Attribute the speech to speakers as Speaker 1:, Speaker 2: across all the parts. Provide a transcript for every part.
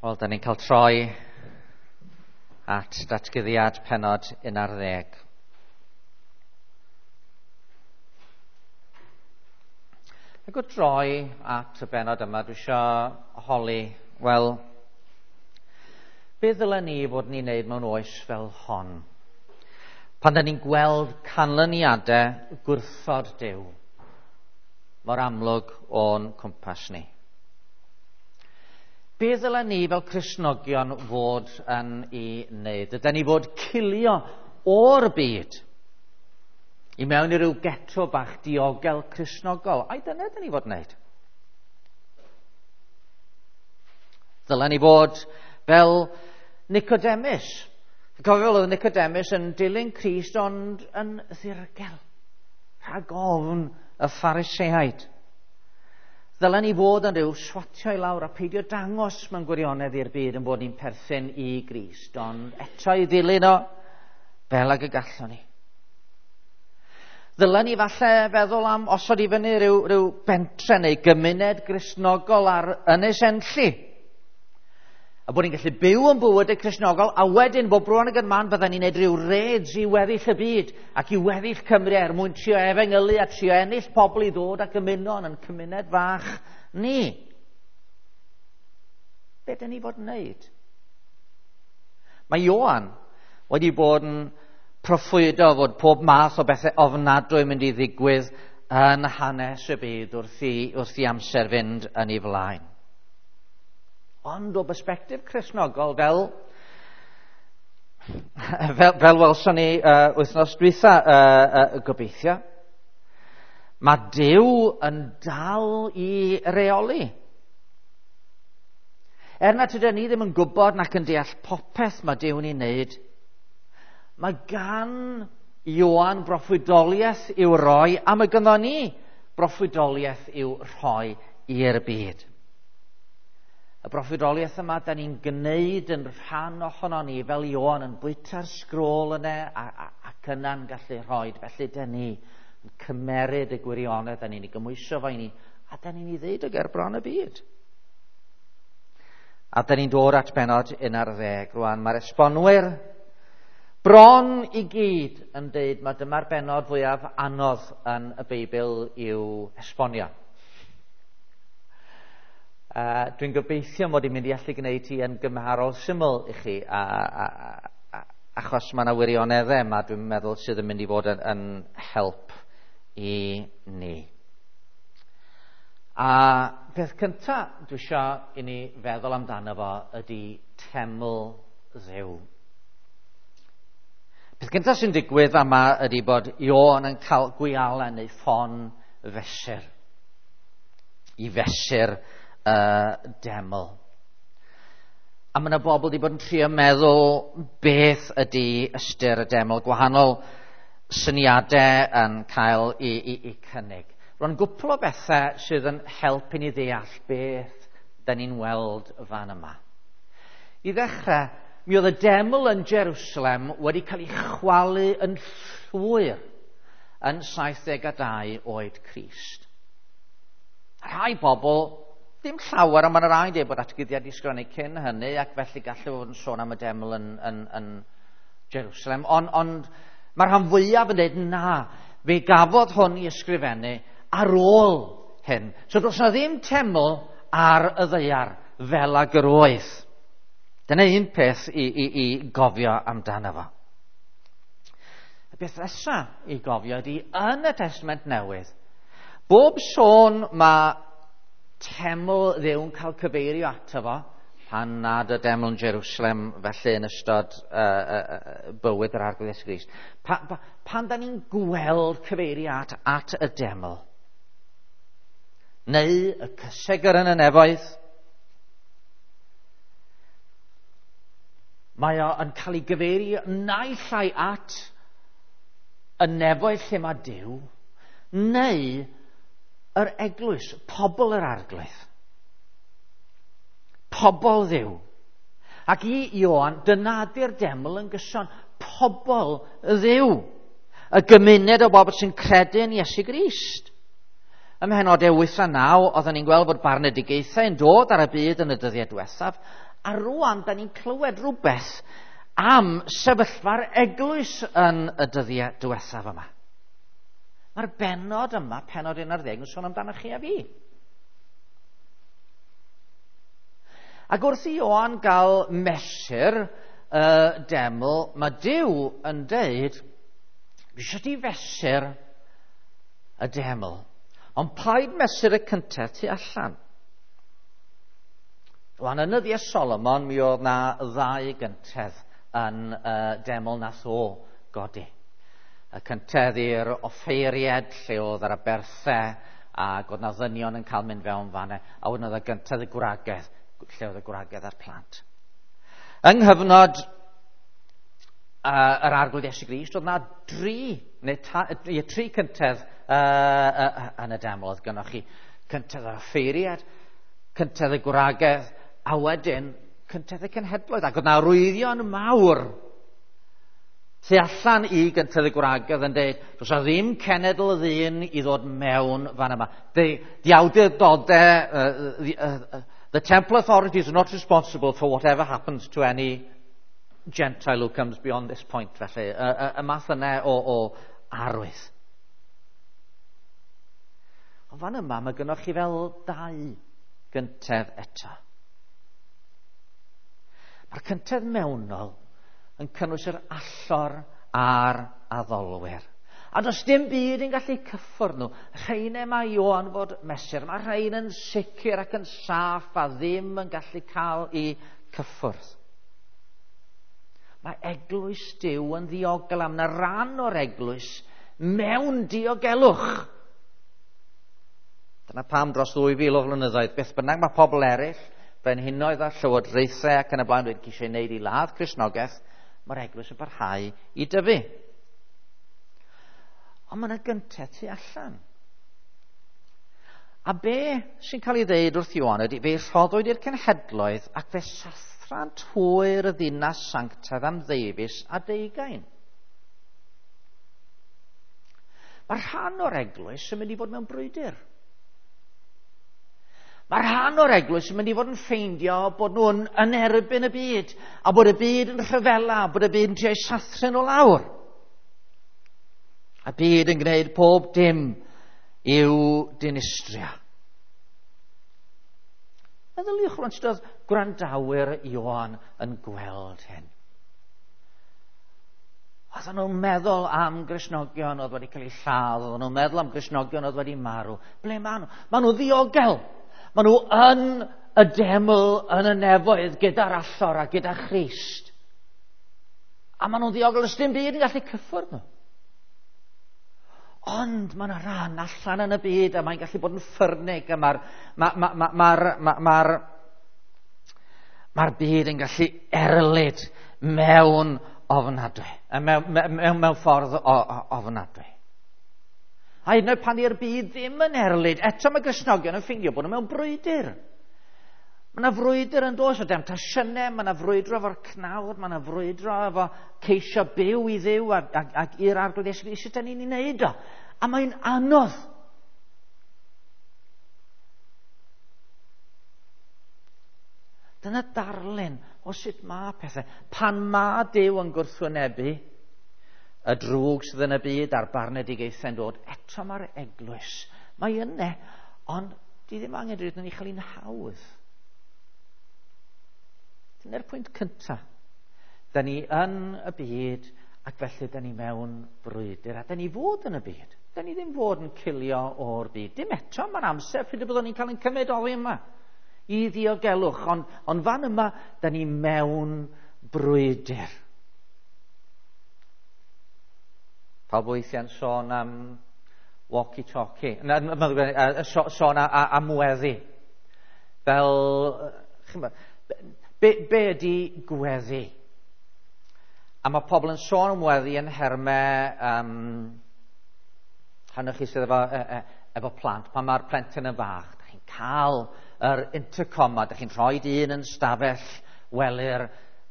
Speaker 1: Wel, da ni'n cael troi at datguddiad pennod 11. Ac o droi at y bennod yma, dwi eisiau holi, wel, be ddylen ni fod ni'n neud mewn oes fel hon? Pan da ni'n gweld canlyniadau gwrthod Duw mor amlwg o'n cwmpas ni. Be ddylen ni fel Cristnogion fod yn ei wneud? Ydy ni fod cilio o'r byd i mewn i ryw geto bach diogel Cristnogol? Ai dyna dyn ni fod yn wneud? Ddylen ni fod fel Nicodemus. Cofio fel oedd Nicodemus yn dilyn Crist ond yn ddirgel, rhag ofn y Phariseaid. Ddylen ni fod yn rhyw swatio i lawr a peidio dangos mewn gwirionedd i'r byd yn bod ni'n perthyn i Grist, ond eto i ddilyn o fel ag y gallwn ni. Ddylen ni falle feddwl am osod i fyny rhyw bentre neu gymuned Gristnogol ar Ynys Enlli. A bod ni'n gallu byw yn bywydau Cristnogol, a wedyn bob bron ag yn man bydden ni'n neud rhyw raids i weddill y byd ac i weddill Cymru er mwyn trio efengylu a trio ennill pobl i ddod ac ymuno yn cymuned fach ni. Be dyn ni fod yn neud? Mae Ioan wedi bod yn proffwydo fod pob math o bethau ofnadwy yn mynd i ddigwydd yn hanes y byd wrth i amser fynd yn ei flaen. Ond o bersbectif Cristnogol, fel welson ni wythnos dwytha gobeithio, mae Duw yn dal i reoli. Er nad ydyn ni ddim yn gwybod nac yn deall popeth mae Duw'n ei wneud, mae gan Ioan broffwydoliaeth i'w roi, a mae ganddo ni broffwydoliaeth i'w rhoi i'r byd. Y broffwydoliaeth yma, da ni'n gwneud yn rhan ohono ni fel Ioan yn bwyta'r sgrôl yna ac yna'n gallu rhoi. Felly da ni yn cymeryd y gwirionedd, da ni'n ei gymhwyso fo i ni, a da ni'n ei ddeud o ger bron y byd. A da ni'n dod at bennod 11 rwan. Mae'r esbonwyr bron i gyd yn deud mae dyma'r bennod fwyaf anodd yn y Beibl i'w esbonio. Dwi'n gobeithio mod i'n mynd i allu gwneud hi yn gymharol syml i chi, achos mae yna wirioneddau yma dwi'n meddwl sydd yn mynd i fod yn help i ni. A peth cyntaf dwi eisiau i ni feddwl amdano fo ydy teml Dduw. Peth cyntaf sy'n digwydd yma ydy bod Ioan yn cael gwialen neu ffon fesur. I fesur y deml. A mae yna bobl wedi bod yn trio meddwl beth ydy ystyr y deml, gwahanol syniadau yn cael i cynnig. Rwan gwpl o bethau sydd yn helpu ni ddeall beth da ni'n weld fan yma. I ddechrau, mi oedd y deml yn Jerusalem wedi cael ei chwalu yn llwyr yn 72 oed Crist. Rhai bobl, ddim llawer, ond mae'n rhaid dweud bod atguddiad i sgrifennu cyn hynny, ac felly gallu fod yn sôn am y deml yn Jerusalem. Ond mae'r rhan fwyaf yn dweud na, fe gafodd hwn i ysgrifennu ar ôl hyn. So does na ddim teml ar y ddaear fel ag yr oedd. Dyna un peth i gofio amdano fo. Y beth nesaf i gofio ydy yn y Testament Newydd, bob sôn mae teml Dduw'n cael cyfeirio ato fo, pan nad y deml yn Jerusalem felly yn ystod bywyd yr Arglwydd Iesu Grist. Pan da ni'n gweld cyfeiriad at y deml, neu y cysegr yn y nefoedd, mae o yn cael ei gyfeirio naill ai at y nefoedd lle mae Duw, neu yr eglwys, pobl yr Arglwydd, pobl Dduw. Ac i Ioan, dyna ydy'r deml yn gyson, pobl Dduw, y gymuned o bobl sy'n credu yn Iesu Grist. Ym mhenodau 8 a 9, oedden ni'n gweld bod barnedigaethau yn dod ar y byd yn y dyddiau diwethaf, a rwan, da ni'n clywed rhywbeth am sefyllfa'r eglwys yn y dyddiau diwethaf yma. Mae'r bennod yma, pennod 11, yn sôn amdano chi a fi. Ac wrth i Ioan gael mesur y deml, mae Duw yn deud, dwi eisiau ti fesur y deml, ond paid mesur y cyntaf tu allan. Rwan, yn nyddiau Solomon, mi oedd na ddau gyntedd yn y deml nath o godi. Y cyntedd i'r offeiried, lle oedd yr aberthau, ac oedd na ddynion yn cael mynd fewn fanna, a wedyn oedd y gyntedd y gwragedd, lle oedd y gwragedd a'r plant. Yng nghyfnod yr Arglwydd Iesu Grist, oedd na dri, neu tri cyntedd yn y deml. Oedd gynnoch chi cyntedd yr offeiriad, cyntedd y gwragedd, a wedyn cyntedd y cenhedloedd. Ac oedd na arwyddion mawr tu allan i gyntedd y gwragedd yn dweud, does na ddim cenedl y ddyn i ddod mewn fan yma. The awdurdodau, the temple authorities are not responsible for whatever happens to any Gentile who comes beyond this point, felly. Y math yna o arwydd. Ond fan yma, mae gynnoch chi fel dau gyntedd eto. Mae'r cyntedd mewnol yn cynnwys yr allor a'r addolwyr. A does dim byd yn gallu cyffwrdd nhw. Rheina mae Ioan fod mesur. Mae rhain yn sicr ac yn saff a ddim yn gallu cael eu cyffwrdd. Mae eglwys Duw yn ddiogel am na ran o'r eglwys mewn diogelwch. Dyna pam dros 2000 o flynyddoedd, beth bynnag mae pobl eraill, brenhinoedd a llywodraethau ac yn y blaen wedi ceisio wneud i ladd Cristnogaeth, mae'r eglwys yn parhau i dyfu. Ond mae yna gyntedd tu allan. A be sy'n cael ei ddeud wrth Ioan ydy, fe rhoddwyd i'r cenhedloedd ac fe sathrant hwyr y ddinas sanctaidd am ddeufis a deugain. Mae rhan o'r eglwys yn mynd i fod mewn brwydr. Mae rhan o'r eglwys yn mynd i fod yn ffeindio bod nhw'n yn erbyn y byd, a bod y byd yn rhyfela, bod y byd yn trio sathru nhw lawr. A byd yn gwneud pob dim i'w dinistrio. Meddyliwch rwan sut oedd gwrandawyr Ioan yn gweld hyn. Oedden nhw'n meddwl am Gristnogion oedd wedi cael eu lladd, oedden nhw'n meddwl am Gristnogion oedd wedi marw. Ble maen nhw? Maen nhw ddiogel. Maen nhw yn y deml yn y nefoedd gyda'r allor a gyda Christ. A maen nhw'n ddiogel, does dim byd yn gallu cyffwrdd nhw. Ond mae yna ran allan yn y byd a mae'n gallu bod yn ffyrnig a mae'r byd yn gallu erlid mewn ofnadwy, mewn ffordd ofnadwy. A hyd yn oed pan i'r byd ddim yn erlid, eto mae Gristnogion yn ffeindio bod nhw mewn brwydr. Mae yna frwydr yn dod o demtasiynau, mae yna frwydro efo'r cnawd, mae yna frwydro efo ceisio byw i Dduw ac i'r Arglwydd Iesu Grist. Sut dan ni'n ei wneud o? A mae'n anodd. Dyna darlun o sut mae pethau. Pan mae Duw yn gwrthwynebu y drwg sydd yn y byd a'r barnedigaethau'n dod, eto mae'r eglwys. Mae yna, ond di ddim angen dweud yn ei chael hi'n hawdd. Dyna'r pwynt cyntaf. Da ni yn y byd ac felly da ni mewn brwydr. A da ni fod yn y byd. Da ni ddim fod yn cilio o'r byd. Dim eto, mae'n amser pryd y byddwn ni'n cael ein cymryd oddi yma i ddiogelwch. Ond fan yma, da ni mewn brwydr. Pawb weithiau'n sôn am walkie-talkie. Sôn am weddi. Fel, be ydy gweddi? A mae pobl yn sôn am weddi yn nhermau, rhan o chi sydd efo plant, pan mae'r plentyn yn fach, da chi'n cael yr intercom a da chi'n rhoi un yn stafell wely'r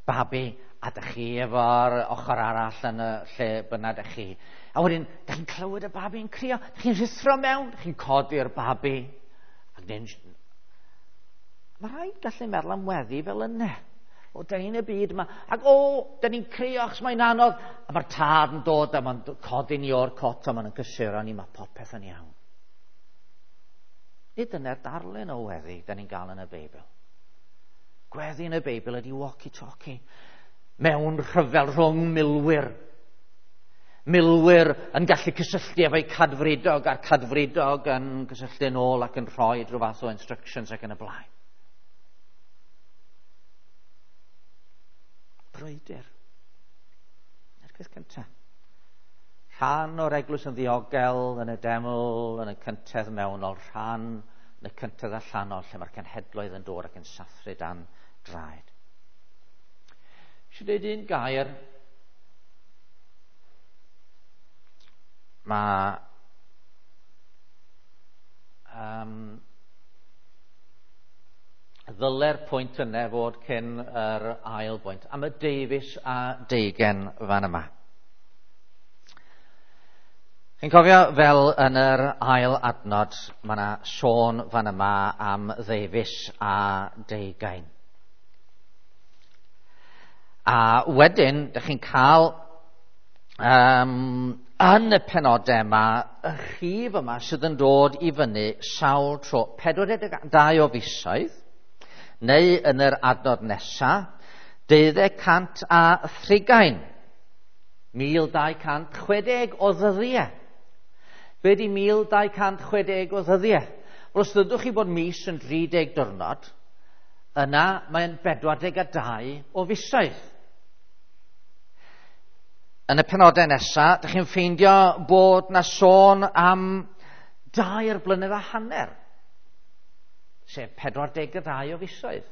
Speaker 1: babi, a da chi efo'r ochr arall yn y lle bynnag da chi. A wedyn, da chi'n clywed y babi yn crio, da chi'n rhuthro mewn, da chi'n codi'r babi. Ac dyn, mae rhaid gallu meddwl am weddi fel yna. O, da ni'n y byd yma. Ac o, da ni'n crio achos mae'n anodd. A mae'r tad yn dod a mae'n codi ni o'r cot a mae'n cysuro ni, mae popeth yn iawn. Nid dyna'r darlun o weddi da ni'n gael yn y Beibl. Gweddi yn y Beibl ydy walkie-talkie. Mewn rhyfel rhwng milwyr. Milwyr yn gallu cysylltu efo'i cadfridog a'r cadfridog yn cysylltu yn ôl ac yn rhoi rhyw fath o instructions ac yn y blaen. Brwydr. Na'r peth cyntaf. Rhan o'r eglwys yn ddiogel, yn y deml, yn y cyntedd mewnol, rhan yn y cyntedd allanol, lle mae'r cenhedloedd yn dod ac yn sathru dan draed. Eisiau dweud un gair. Mae ddyle'r pwynt yna fod cyn yr ail bwynt, am y deufis a deugen fan yma. Chi'n cofio fel yn yr ail adnod, mae yna sôn fan yma am ddeufis a deugain. A wedyn, dych chi'n cael yn y penodau yma, y rhif yma sydd yn dod i fyny sawl tro, 42 o fisoedd, neu yn yr adnod nesa, 230, 1260 o ddyddiau. Be di 1260 o ddyddiau? Wel, os dydwch chi bod mis yn 30 diwrnod, yna mae'n 42 o fisoedd. Yn y penodau nesaf, dych chi'n ffeindio bod na sôn am 2 blynedd a hanner, sef 42 o fisoedd.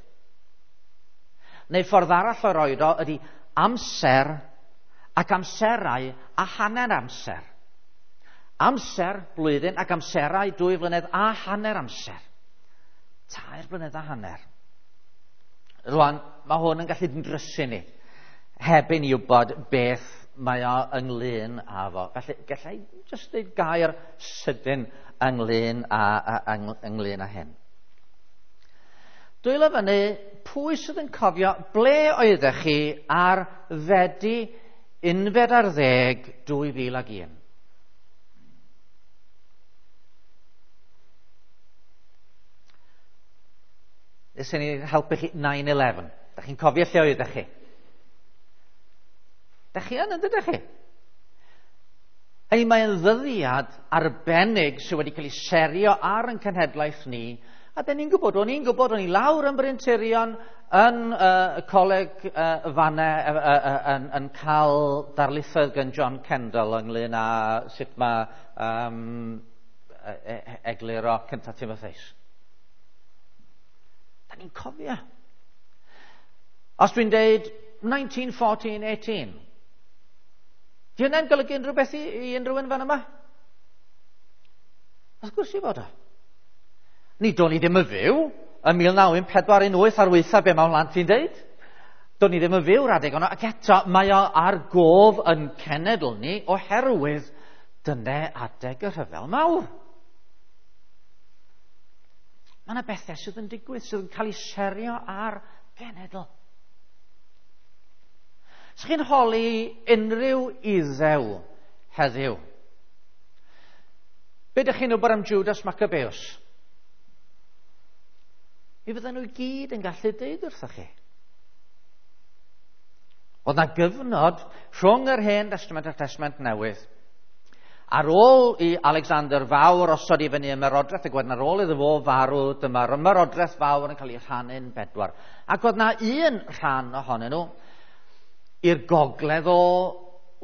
Speaker 1: Neu ffordd arall o roed o ydy amser ac amserau a hanner amser. Amser blwyddyn ac amserau 2 flynedd a hanner amser. 3 blynedd a hanner. Rwan, mae hwn yn gallu drysu ni, heb i ni wybod beth mae o ynglyn â fo. Felly, gallai jyst dweud gair sydyn ynglyn â hyn. Dwylo fyny, pwy sydd yn cofio ble oeddech chi ar Fedi 11, 2001? Nes i ni helpu chi 9/11. Da chi'n cofio lle oeddech chi? Da chi yn, ydych chi? Hynny, mae'n ddyddiad arbennig sydd wedi cael ei serio ar ein cenhedlaeth ni, a da ni'n gwybod, o'n i'n gwybod, o'n i lawr yn Bryn Tirion, yn y coleg fanne, yn cael darlithoedd gan John Kendall ynglyn â sut mae egluro Cynta Timotheus. Da ni'n cofio. Os dwi'n deud 1914-18, di hynna'n golygu unrhyw beth i unrhyw un fan yma? Wrth gwrs i fod o. Ni do'n i ddim yn fyw yn 1914-18 ar weitha be mae hwnna'n ti'n deud. Do'n i ddim yn fyw'r adeg yno, ac eto mae o ar gof yn cenedl ni oherwydd dyna adeg y rhyfel mawr. Mae yna bethau sydd yn digwydd, sydd yn cael ei serio ar genedl. Sa'ch chi'n holi unrhyw Iddew heddiw? Be ydych chi'n wybod am Judas Maccabeus? Mi fydden nhw i gyd yn gallu deud wrthoch chi. Oedd na gyfnod rhwng yr Hen Testament a'r Testament Newydd. Ar ôl i Alexander Fawr osod i fyny ymerodraeth, ac wedyn ar ôl iddo fo farw, dyma'r ymerodraeth fawr yn cael ei rhannu'n bedwar. Ac oedd na un rhan ohonyn nhw i'r gogledd o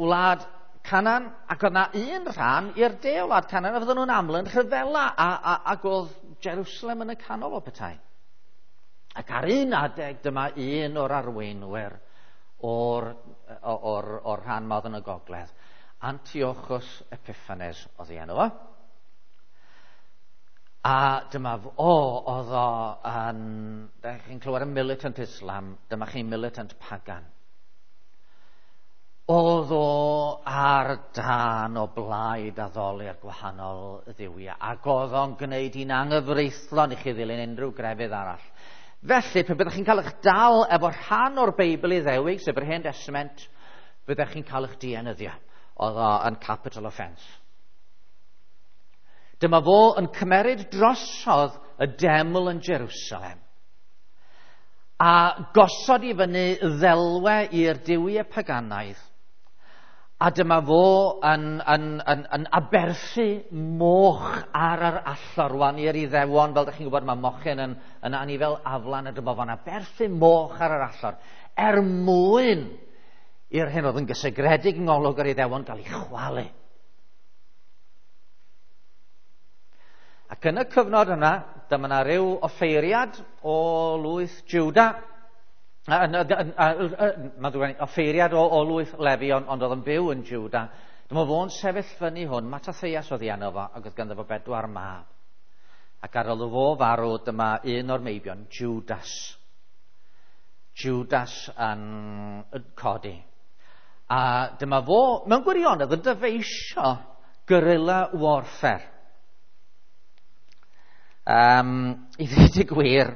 Speaker 1: wlad Canaan, ac oedd na un rhan i'r de o wlad Canaan, a fydden nhw'n aml yn rhyfela, ac oedd Jerusalem yn y canol o petai. Ac ar un adeg dyma un o'r arweinwyr o'r rhan ma oedd yn y gogledd, Antiochus Epiphanes oedd ei enw fo. A dyma oedd o yn, da chi'n clywed am militant Islam, dyma chi'n militant pagan. Oedd o ar dân o blaid addoli'r gwahanol dduwiau, ac oedd o'n gwneud hi'n anghyfreithlon i chi ddilyn unrhyw grefydd arall. Felly, pe byddech chi'n cael eich dal efo rhan o'r Beibl Iddewig, sef yr Hen Testament, byddech chi'n cael eich dienyddio. Oedd o yn capital offence. Dyma fo yn cymeryd drosodd y deml yn Jerusalem a gosod i fyny ddelwe i'r duwiau paganaidd. A dyma fo yn aberthu moch ar yr allor rwan i'r Iddewon. Fel ydych chi'n gwybod, mae mochyn yn anifel aflan, a dyma fo'n aberthu moch ar yr allor er mwyn i'r hyn oedd yn gysegredig yng ngolwg yr Iddewon gael ei chwalu. Ac yn y cyfnod yna, dyma yna rhyw offeiriad o lwyth Juda, mae'n offeiriad o lwyth Lefi, ond oedd yn byw yn Juda. Dyma fo'n sefyll fyny hwn, Mattathias oedd ei enw fo, ac oedd ganddo fo 4 mab. Ac ar ôl fo farw, dyma un o'r meibion, Judas. Judas yn codi. A dyma fo, mewn gwirionedd, yn dyfeisio guerrilla warfare. I ddweud y gwir,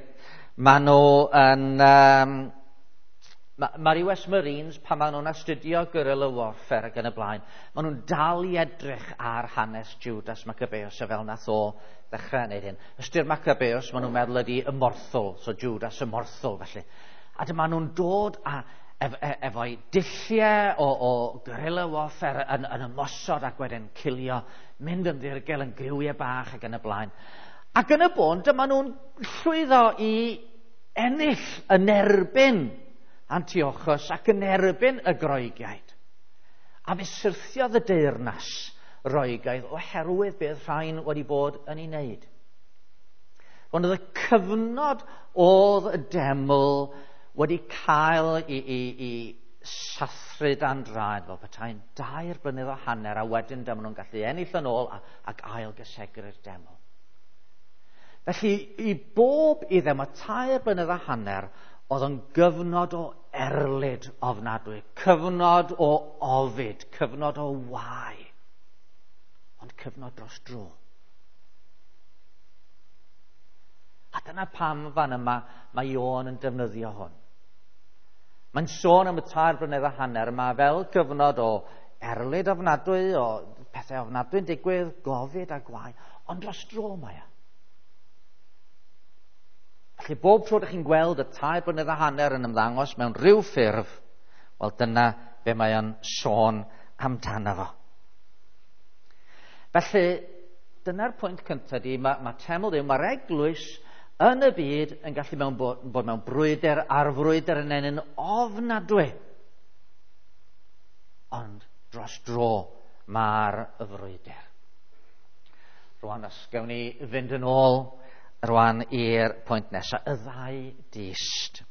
Speaker 1: maen nhw yn... Mae'r US Marines, pan maen nhw'n astudio guerrilla warfare ac yn y blaen, maen nhw'n dal i edrych ar hanes Judas Maccabeus a fel nath o ddechrau wneud hyn. Ystyr Maccabeus, maen nhw'n meddwl ydi ymorthol, so Judas ymorthol felly. A dyma nhw'n dod a efo'i dulliau o guerrilla warfare yn ymosod ac wedyn cilio, mynd yn ddirgel yn griwiau bach ac yn y blaen. Ac yn y bôn, dyma nhw'n llwyddo i ennill yn erbyn Antiochus ac yn erbyn y Groegiaid. A fe syrthiodd y deyrnas Roegaidd oherwydd beth rhain wedi bod yn ei wneud. Ond oedd y cyfnod oedd y deml wedi cael i sathru dan draed fel petai'n 2.5 blynedd, a wedyn dyma nhw'n gallu ennill yn ôl ac ail gysegru'r deml. Felly, i bob Iddew, mae 3.5 blynedd oedd yn gyfnod o erlid ofnadwy, cyfnod o ofid, cyfnod o wae, ond cyfnod dros dro. A dyna pam fan yma mae Ioan yn defnyddio hwn. Mae'n sôn am y 3.5 blynedd yma fel cyfnod o erlid ofnadwy, o pethau ofnadwy'n digwydd, gofid a gwae, ond dros dro mae e. Felly bob tro ydych chi'n gweld y 3.5 blynedd yn ymddangos mewn rhyw ffurf, wel dyna be mae o'n sôn amdano fo. Felly, dyna'r pwynt cyntaf di, mae teml Duw, mae'r eglwys yn y byd yn gallu bod mewn brwydr a'r frwydr yn ennyn ofnadwy. Ond dros dro mae'r frwydr. Rwan, os gawn ni fynd yn ôl rwan i'r pwynt nesaf, y ddau dyst.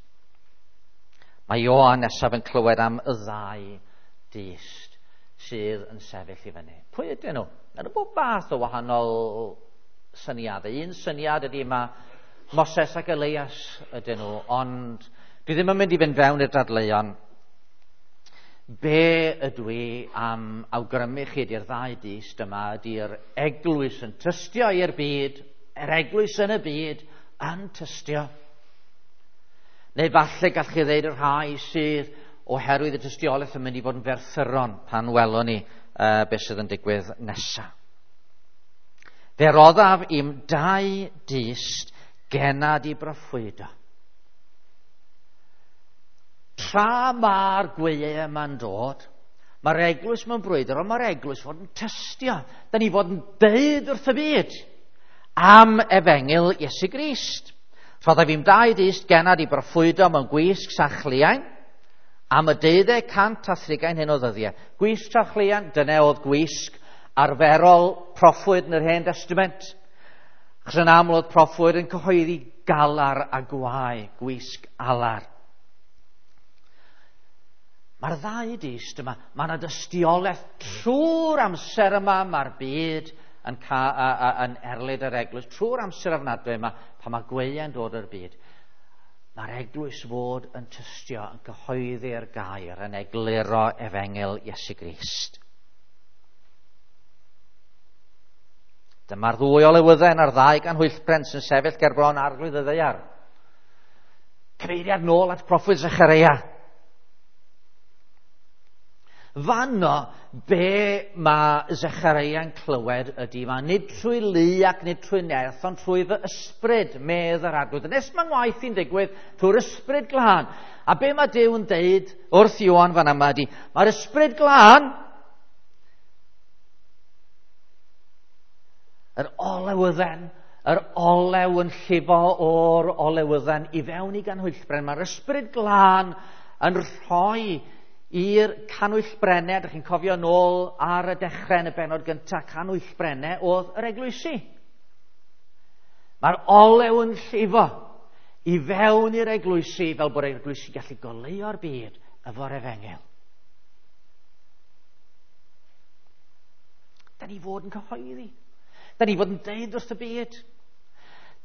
Speaker 1: Mae Ioan nesaf yn clywed am y ddau dyst sydd yn sefyll i fyny. Pwy ydyn nhw? Mae nhw bob fath o wahanol syniadau. Un syniad ydy mae Moses ac Elias ydyn nhw, ond dwi ddim yn mynd i fynd fewn i'r dadleuon. Be ydw i am awgrymu chi ydy'r ddau dyst yma ydy'r eglwys yn tystio i'r byd, yr eglwys yn y byd yn tystio. Neu falle gall chi ddeud y rhai sydd oherwydd y tystiolaeth yn mynd i fod yn ferthyron pan welwn ni beth sydd yn digwydd nesaf. Fe roddaf i'm dau dyst genad i broffwydo. Tra mae'r gwyliau yma'n dod, mae'r eglwys mewn brwydr, ond mae'r eglwys fod yn tystio. Da ni fod yn deud wrth y byd am efengyl Iesu Grist. Rhoddaf i'm dau dyst genad i broffwydo mewn gwisg sachliain am y 230 hyn o ddyddiau. Gwisg sachliain, dyna oedd gwisg arferol proffwyd yn yr Hen Testament. Achos yn aml oedd proffwyd yn cyhoeddi galar a gwae, gwisg alar. Mae'r ddau dyst yma, mae yna dystiolaeth trwy'r amser yma, mae'r byd yn erlid yr eglwys, trwy'r amser ofnadwy yma, pan mae gwyliau'n dod o'r byd. Mae'r eglwys fod yn tystio, yn cyhoeddi'r gair, yn egluro efengyl Iesu Grist. Dyma'r ddwy olewydden a'r ddau ganhwyllbren sy'n sefyll ger bron arglwydd y ddaear. Cyfeiriad nôl at proffwyd Zechareia. Fanno, be mae Zechareia'n clywed ydy, mae nid trwy lu ac nid trwy nerth, ond trwy fy ysbryd, medd yr arglwydd. Nes mae'n waith i'n digwydd trwy'r ysbryd glân. A be mae Duw yn deud wrth Ioan fan yma ydy, mae'r ysbryd glân, yr olewydden, yr olew yn llifo o'r olewydden i fewn i ganhwyllbren, mae'r ysbryd glân yn rhoi i'r canwyllbrennau, ydych chi'n cofio nôl ar y dechrau yn y bennod gyntaf, canwyllbrennau oedd yr eglwysi. Mae'r olew yn llifo i fewn i'r eglwysi fel bod yr eglwysi gallu goleuo'r byd efo'r efengyl. Da ni fod yn cyhoeddi. Da ni fod yn deud wrth y byd.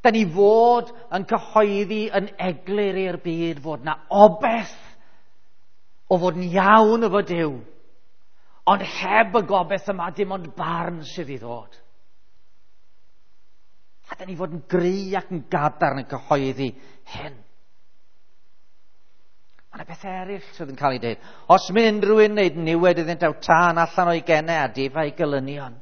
Speaker 1: Da ni fod yn cyhoeddi yn eglur i'r byd fod na obeth o fod yn iawn efo Duw. Ond heb y gobeith yma, dim ond barn sydd i ddod. A da ni fod yn gry ac yn gadarn yn cyhoeddi hyn. Mae yna bethau eraill sydd yn cael ei dweud. Os mynd unrhyw un wneud niwed iddynt aw tân allan o'i genau a difa ei gylynion.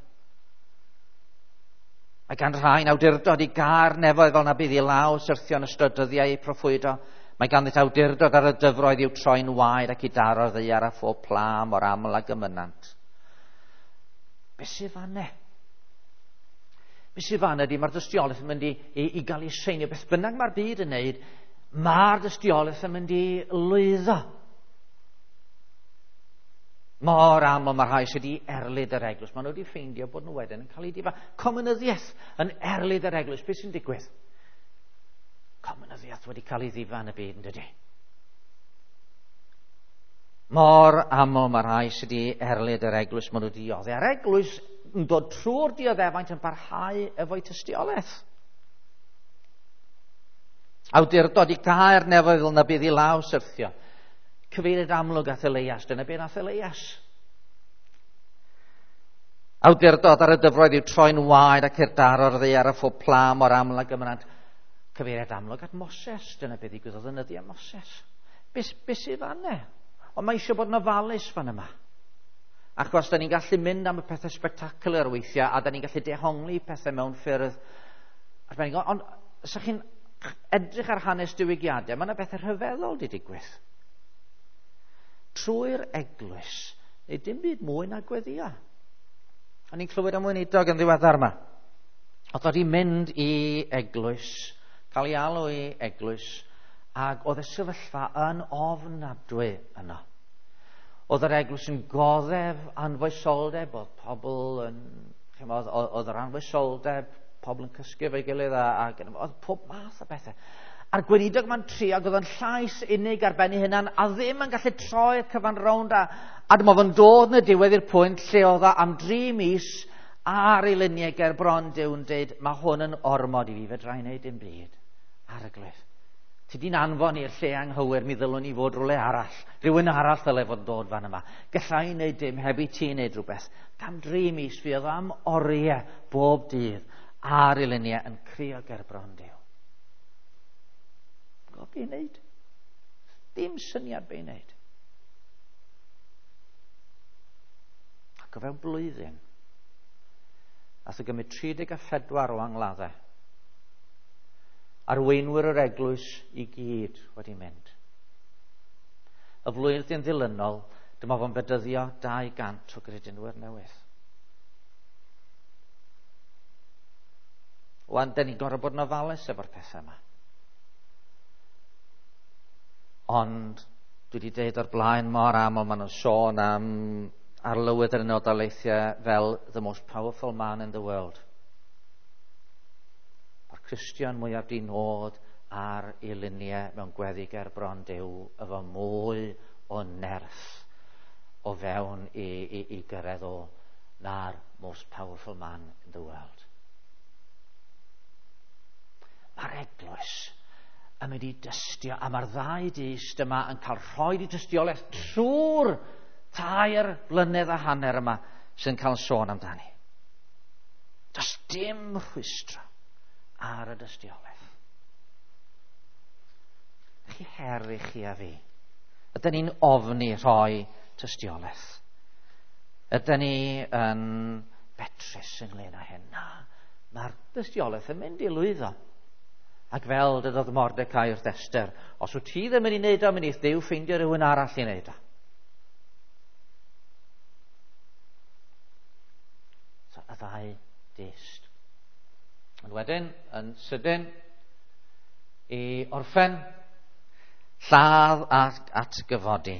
Speaker 1: Mae gan rhain awdurdod i gar nefoedd fel na bydd i law syrthio yn ystod dyddiau eu proffwydo. Mae ganddynt awdurdod ar y dyfroedd i'w troi'n waed ac i daro'r ddaear a phob pla mor aml ag y mynant. Be sydd fanne? Be sydd fanne ydy mae'r dystiolaeth yn mynd i gael ei seinio. Beth bynnag mae'r byd yn neud, mae'r dystiolaeth yn mynd i lwyddo. Mor aml mae rhai sydd wedi erlid yr eglwys. Maen nhw wedi ffeindio bod nhw wedyn yn cael eu difa. Comunyddiaeth yn erlid yr eglwys. Beth sy'n digwydd? Comunyddiaeth wedi cael ei ddifa yn y byd, yn dydy? Mor aml mae rhai sydd wedi erlid yr eglwys, maen nhw wedi dioddef. A'r eglwys yn dod trwy'r dioddefaint yn parhau efo'i tystiolaeth. Awdurdod i gael nefoedd fel na bydd i law syrthio. Cyfeiriad amlwg at Elias, dyna be nath Elias. Awdurdod ar y dyfroedd i'w troi'n waed ac i'r daro'r ddaear a phob pla mor aml ag y mynant. Cyfeiriad amlwg at Moses, dyna be ddigwyddodd yn nyddiau Moses. Be sydd fanne? Ond mae eisiau bod yn ofalus fan yma. Achos da ni'n gallu mynd am y pethau spectacular weithiau, a da ni'n gallu dehongli pethau mewn ffyrdd arbennig. Ond os chi'n edrych ar hanes diwygiadau, mae yna bethau rhyfeddol wedi digwydd. Trwy'r eglwys, neu dim byd mwy na gweddia. O'n i'n clywed am weinidog yn ddiweddar yma. Oedd wedi mynd i eglwys, cael ei alw i eglwys, ac oedd y sefyllfa yn ofnadwy yno. Oedd yr eglwys yn goddef anfoesoldeb, oedd pobl yn, chymod, oedd yr anfoesoldeb, pobl yn cysgu efo'i gilydd, ac oedd pob math o bethau. A'r gweinidog ma'n trio, ac oedd yn llais unig ar ben ei hunan, a ddim yn gallu troi'r cyfan rownd, a dyma fo'n dod yn y diwedd i'r pwynt lle oedd o am 3 mis ar ei luniau ger bron Duw yn dweud, mae hwn yn ormod i fi, fedra i wneud dim byd. Arglwydd, ti di'n anfon i'r lle anghywir, mi ddylwn i fod rhywle arall. Rhywun arall ddyle fod yn dod fan yma. Galla i wneud dim heb i ti wneud rhywbeth. Am 3 mis fi oedd am oriau bob dydd ar ei luniau yn crio ger bron Duw. Gwybod be i wneud? Dim syniad be i wneud. Ac o fewn blwyddyn, nath o gymryd 34 o angladdau. Arweinwyr yr eglwys i gyd wedi mynd. Y flwyddyn ddilynol, dyma fo'n bedyddio 200 o gredinwyr newydd. Wan, da ni'n gorfod bod yn ofalus efo'r pethau yma. Ond dwi wedi deud o'r blaen mor aml, maen nhw'n sôn am arlywydd yr Unol Daleithiau fel the most powerful man in the world. Mae'r Cristion mwyaf di nod ar ei luniau mewn gweddi ger bron Duw efo mwy o nerth o fewn i gyrraedd o na'r most powerful man in the world. Mae'r eglwys yn mynd i dystio, a mae'r ddau dyst yma yn cael rhoi i tystiolaeth trwy'r 3.5 blynedd yma sy'n cael sôn amdani. Does dim rhwystro ar y dystiolaeth. Chi her i chi a fi. Ydyn ni'n ofni rhoi tystiolaeth? Ydyn ni yn betrus ynglyn â hyn? Na, mae'r dystiolaeth yn mynd i lwyddo. Ac fel dydodd Mordecai wrth Esther, os wyt ti ddim yn ei wneud o, mynd i Dduw ffeindio rhywun arall i wneud o. So, y ddau dyst. Ond wedyn, yn sydyn, i orffen, lladd ac atgyfodi.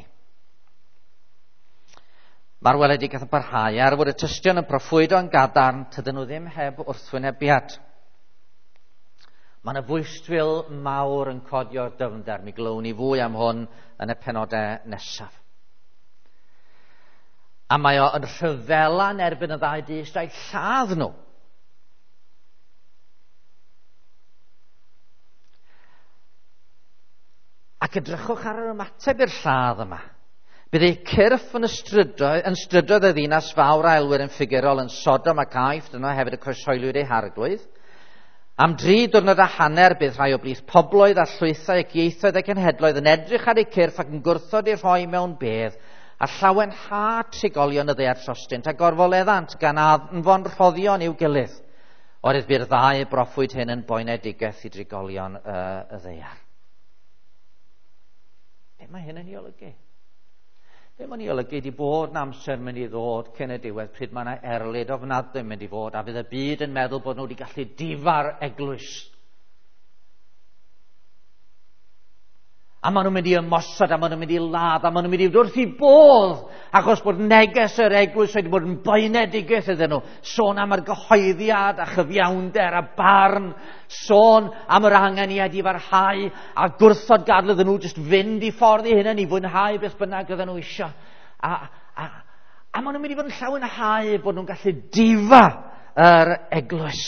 Speaker 1: Mae'r weledigaeth yn parhau, er fod y tystion yn proffwydo yn gadarn, tydyn nhw ddim heb wrthwynebiad. Mae yna fwystfil mawr yn codi o'r dyfnder. Mi glywn ni fwy am hwn yn y penodau nesaf. A mae o yn rhyfela yn erbyn y ddau dyst a'i lladd nhw. Ac edrychwch ar yr ymateb i'r lladd yma. Bydd eu cyrff yn strydoedd y ddinas fawr a elwir yn ffigurol yn Sodom ac Aifft, yno hefyd y croeshoeliwyd eu harglwydd. Am 3.5 diwrnod bydd rhai o blith pobloedd a llwythau ac ieithoedd ac cenhedloedd yn edrych ar eu cyrff ac yn gwrthod eu rhoi mewn bedd, a llawenhad trigolion y ddaear trostynt a gorfoleddant gan anfon rhoddion i'w gilydd. Oherwydd bu'r ddau broffwyd hyn yn boenedigaeth i drigolion y ddaear. Be mae hyn yn ei olygu? Be mae'n ei olygu ydi bod yn amser mynd i ddod cyn y diwedd pryd mae yna erlid ofnadwy mynd i fod, a fydd y byd yn meddwl bod nhw wedi gallu difa'r eglwys. A maen nhw'n mynd i ymosod, a maen nhw'n mynd i ladd, a maen nhw'n mynd i fod wrth i bodd, achos bod neges yr eglwys wedi bod yn boenedigaeth iddyn nhw. Sôn am yr gyhoeddiad a chyfiawnder a barn, sôn am yr angen i edifarhau, a gwrthod gadael iddyn nhw jyst fynd i ffordd i hunain i fwynhau beth bynnag oedden nhw isio. A maen nhw'n mynd i fod yn llawenhau bod nhw'n gallu difa yr eglwys.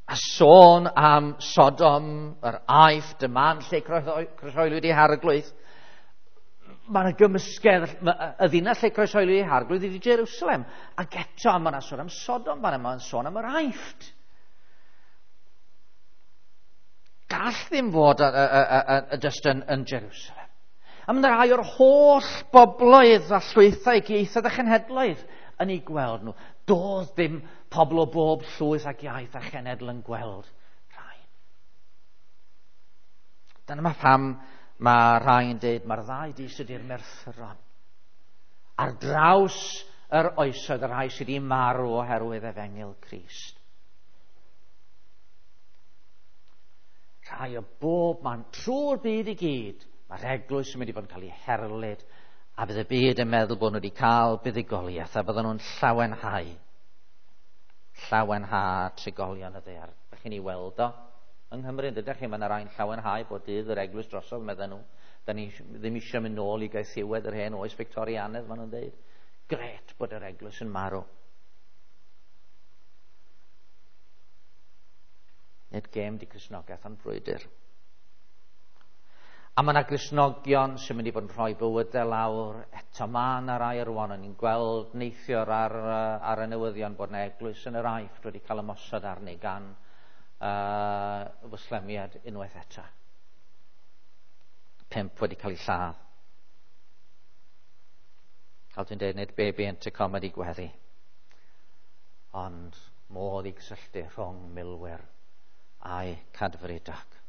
Speaker 1: A sôn am Sodom, yr Aifft, y man lle croeshoeliwyd ei harglwydd. Mae yna gymysgedd, y ddinas lle croeshoeliwyd ei harglwydd ydy Jerusalem. Ac eto, mae yna sôn am Sodom, mae yna sôn am yr Aifft. Gall ddim fod jyst yn Jerusalem. A mae yna rai o'r holl bobloedd a llwythau, ieithoedd a chenhedloedd yn ei gweld nhw. Doedd ddim pobl o bob llwyth ac iaith a chenedl yn gweld rhai. Dyna mae pam mae rhai yn dweud mae'r ddau dyst ydy'r merthyron. Ar draws yr oesoedd y rhai sydd wedi marw oherwydd efengyl Crist. Rhai o bob man trwy'r byd i gyd, mae'r eglwys yn mynd i fod yn cael ei herlid, a bydd y byd yn meddwl bod nhw wedi cael buddugoliaeth, a bydden nhw'n llawenhau. Llawenhau trigolion y ddaear. Dych chi'n ei weld o yng Nghymru, ydych chi? Mae yna rai'n llawenhau bod dydd yr eglwys drosodd, medden nhw. Da ni ddim eisiau mynd nôl i gaethiwed yr hen oes Victorianedd, maen nhw'n dweud. Gret bod yr eglwys yn marw. Nid gêm di Cristnogaeth ond brwydr. A mae yna Gristnogion sy'n mynd i fod yn rhoi bywydau lawr. Eto mae yna rai rwan, o'n i'n gweld neithiwr ar y newyddion bod yna eglwys yn yr Aifft wedi cael ymosod arni gan Fwslemiad unwaith eto. 5 wedi cael ei lladd. Fel dwi'n dweud, nid baby intercom ydi gweddi, ond modd i gysylltu rhwng milwyr a'i cadfridog.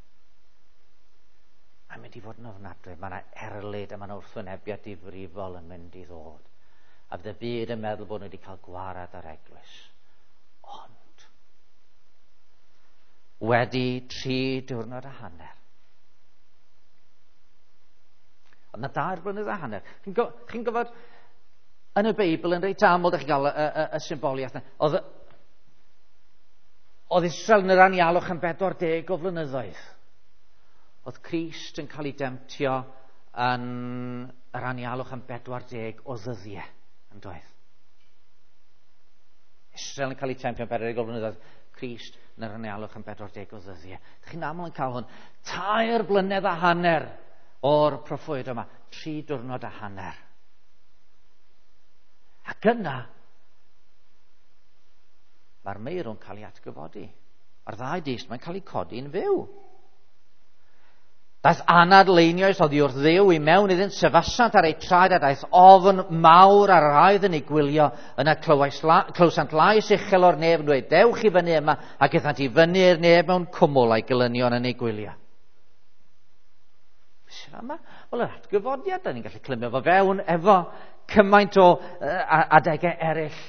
Speaker 1: Mae'n mynd i fod yn ofnadwy. Mae yna erlid a mae yna wrthwynebiad difrifol yn mynd i ddod. A bydd y byd yn meddwl bod nhw wedi cael gwarad ar eglwys. Ond, wedi 3.5 diwrnod. Ond na 2.5 blynedd. Chi'n gwybod, yn y Beibl yn reit aml, ydych chi'n cael y symboliaeth yna. Oedd Israel yn yr anialwch am 40 o flynyddoedd. Oedd Crist yn cael ei demtio yn yr anialwch am 40 o ddyddiau, yn doedd? Israel yn cael ei temtio am 40 o flynyddoedd. Crist yn yr anialwch am 40 o ddyddiau. Dych chi'n aml yn cael hwn. 3 blynedd a hanner o'r proffwyd yma. 3 diwrnod a hanner. Ac yna, mae'r meirw'n cael ei atgyfodi. Mae'r ddau dyst, mae'n cael ei codi'n fyw. Daeth anadl einioes oddi wrth Dduw i mewn iddynt, sefasant ar eu traed a daeth ofn mawr ar yr rhai yn ei gwylio. Yna clywsant lais uchel o'r nef yn dweud, dewch i fyny yma, ac aethant i fyny i'r nef mewn cwmwl a'i gelynion yn ei gwylio. Beth sydd yma? Wel, yr atgyfodiad, da ni'n gallu clymio fo fewn efo cymaint o adegau eraill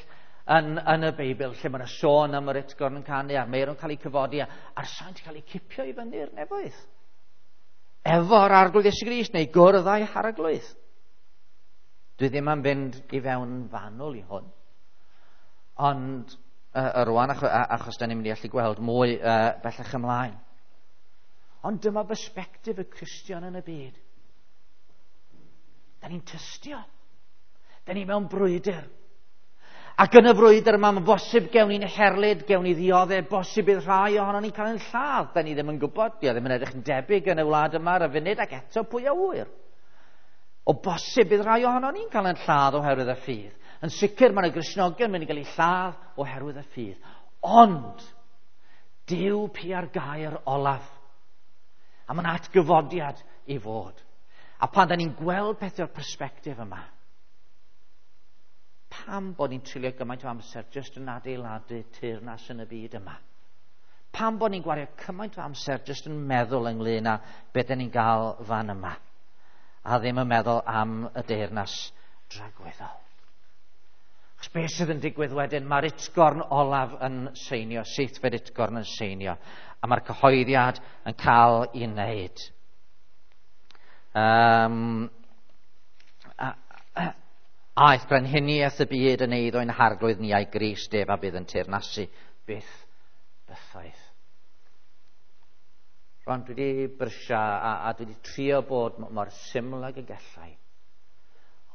Speaker 1: yn y Beibl, lle mae yna sôn am yr utgorn yn canu, a'r meirw'n cael eu cyfodi, a'r saint yn cael eu cipio i fyny i'r nefoedd. Efo'r Arglwydd Iesu Grist neu gwrdd â'i harglwydd. Dwi ddim am fynd i fewn fanwl i hwn. Ond rwan, achos da ni'n mynd i allu gweld mwy bellach ymlaen. Ond dyma bersbectif y Cristion yn y byd. Da ni'n tystio. Da ni mewn brwydr. Ac yn y frwydr yma, mae'n bosib gewn ni'n herlid, gewn ni ddioddef, bosib bydd rhai ohonon ni'n cael ein lladd. Da ni ddim yn gwybod, di o ddim yn edrych yn debyg yn y wlad yma ar y funud, ac eto pwy a ŵyr. O bosib bydd rhai ohonon ni'n cael ein lladd oherwydd y ffydd. Yn sicr mae yna Gristnogion mynd i gael eu lladd oherwydd y ffydd. Ond, Duw pia'r gair olaf. A mae'n atgyfodiad i fod. A pan da ni'n gweld pethau o'r persbectif yma, pam bod ni'n treulio gymaint o amser jyst yn adeiladu teyrnas yn y byd yma? Pam bod ni'n gwario cymaint o amser jyst yn meddwl ynglyn â beth da ni'n gael fan yma? A ddim yn meddwl am y deyrnas dragwyddol. Achos beth sydd yn digwydd wedyn, mae'r utgorn olaf yn seinio, seithfed utgorn yn seinio, a mae'r cyhoeddiad yn cael ei wneud. Aeth brenhiniaeth y byd yn eiddo ein harglwydd ni a'i Grist ef a bydd yn teyrnasu byth bythoedd. Rwan, dwi wedi brysio a dwi wedi trio bod mor syml ag y gallai.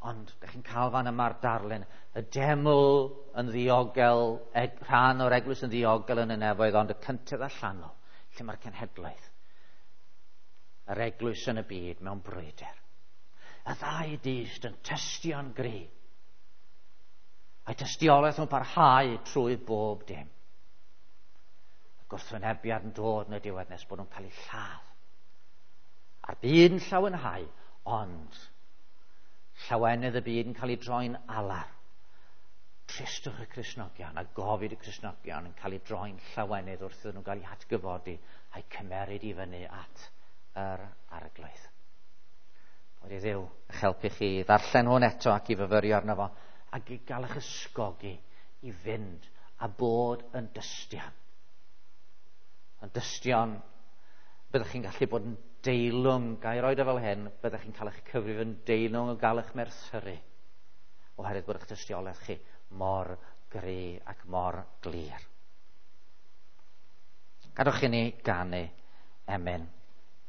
Speaker 1: Ond, ydych chi'n cael fan yma'r darlun, y deml yn ddiogel, rhan o'r eglwys yn ddiogel yn y nefoedd, ond y cyntedd allanol, lle mae'r cenhedlaeth, yr eglwys yn y byd mewn brwydr. Y ddau dyst yn tystio'n gry. A'i tystiolaeth yn parhau trwy bob dim. Y gwrthwynebiad yn dod yn y diwedd nes bod nhw'n cael eu lladd. A'r byd yn llawenhau, ond llawenydd y byd yn cael ei droi'n alar. Tristwch y Cristnogion a gofid y Cristnogion yn cael ei droi'n llawenydd wrth iddyn nhw gael eu hatgyfodi a'i cymeryd i fyny at yr arglwydd. Boed i Dduw eich helpu chi i ddarllen hwn eto ac i fyfyrio arno fo, ac i gael eich ysgogi i fynd a bod yn dystion. Yn dystion, byddwch chi'n gallu bod yn deilwng, ga i roed o fel hyn, byddwch chi'n cael eich cyfrif yn deilwng o gael eich merthyru, oherwydd bod eich tystiolaeth chi mor gry ac mor glir. Gadewch i ni ganu emyn.